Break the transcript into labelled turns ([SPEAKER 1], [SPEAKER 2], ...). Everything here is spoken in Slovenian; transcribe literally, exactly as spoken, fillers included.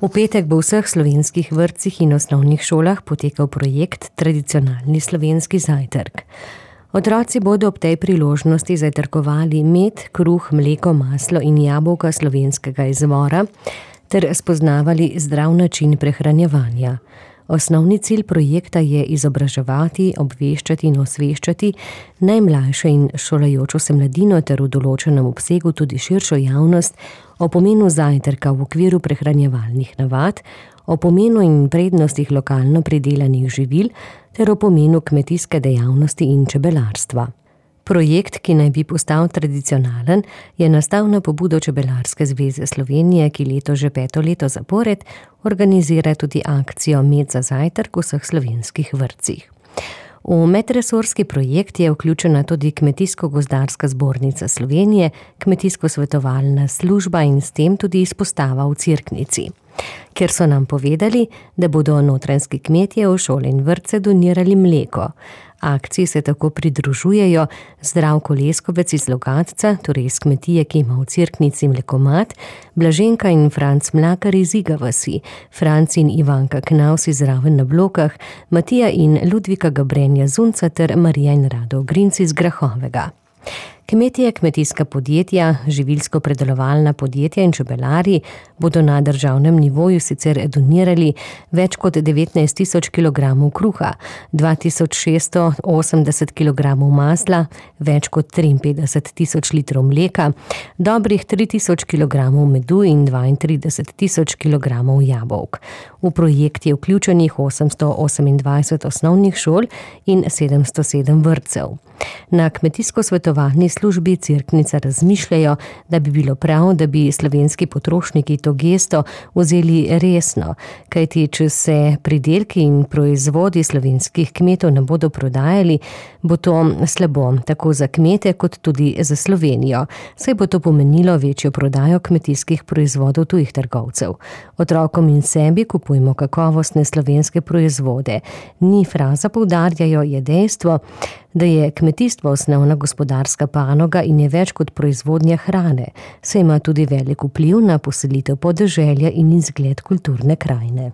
[SPEAKER 1] V petek bo v vseh slovenskih vrtcih in osnovnih šolah potekal projekt Tradicionalni slovenski zajtrk. Otroci bodo ob tej priložnosti zajtrkovali med, kruh, mleko, maslo in jabolka slovenskega izvora ter spoznavali zdrav način prehranjevanja. Osnovni cilj projekta je izobraževati, obveščati in osveščati najmlajše in šolajočo se mladino ter v določenem obsegu tudi širšo javnost o pomenu zajtrka v okviru prehranjevalnih navad, o pomenu in prednostih lokalno pridelanih živil ter o pomenu kmetijske dejavnosti in čebelarstva. Projekt, ki naj bi postal tradicionalen, je nastal na pobudo Čebelarske zveze Slovenije, ki leto že peto leto zapored organizira tudi akcijo Med za zajtrk v vseh slovenskih vrtcih. V medresorski projekt je vključena tudi Kmetijsko-gozdarska zbornica Slovenije, Kmetijsko-svetovalna služba in s tem tudi izpostava v Cerknici, kjer so nam povedali, da bodo notranjski kmetje v šole in vrtce donirali mleko. Akciji se tako pridružujejo Zdravko Leskovec iz Logatca, torej iz kmetije, ki ima v Cerknici mlekomat, Blaženka in Franc Mlakar iz Iga vasi, Franc in Ivanka Knavs iz Raven na Blokah, Matija in Ludvika Gabrenja Zunca ter Marija in Rado Grinc iz Grahovega. Kmetje, kmetijska podjetja, živilsko-predelovalna podjetja in čebelari bodo na državnem nivoju sicer donirali več kot devetnajst tisoč kilogramov kruha, dva tisoč šeststo osemdeset kilogramov masla, več kot triinpetdeset tisoč litrov mleka, dobrih tri tisoč kilogramov medu in dvaintrideset tisoč kilogramov jabolk. V projekt je vključenih osemsto osemindvajset osnovnih šol in sedemsto sedem vrtcev. Na kmetijsko-svetovalni službi Cerknica razmišljajo, da bi bilo prav, da bi slovenski potrošniki to gesto vzeli resno, kajti če se pridelki in proizvodi slovenskih kmetov ne bodo prodajali, bo to slabo tako za kmete kot tudi za Slovenijo, saj bo to pomenilo večjo prodajo kmetijskih proizvodov tujih trgovcev. Otrokom in sebi kupujmo kakovostne slovenske proizvode. Ni fraza, poudarjajo, je dejstvo, da je kmetijstvo osnovna gospodarska panoga in je več kot proizvodnja hrane, saj ima tudi velik vpliv na poselitev podeželja in izgled kulturne krajine.